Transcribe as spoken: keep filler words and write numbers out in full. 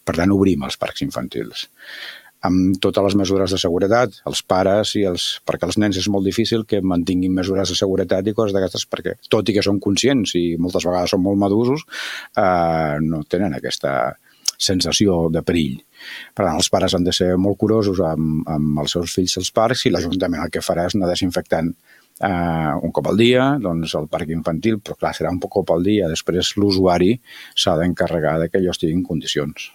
Per tant, obrim els parcs infantils amb totes les mesures de seguretat, els pares i els... perquè els nens és molt difícil que mantinguin mesures de seguretat i coses d'aquestes, perquè tot i que són conscients i moltes vegades són molt maduros, eh, no tenen aquesta sensació de perill. Per tant, els pares han de ser molt curosos amb, amb els seus fills als parcs i l'Ajuntament el que farà és anar desinfectant eh, un cop al dia, doncs el parc infantil, però clar, serà un cop al dia. Després l'usuari s'ha d'encarregar de que allò estigui en condicions.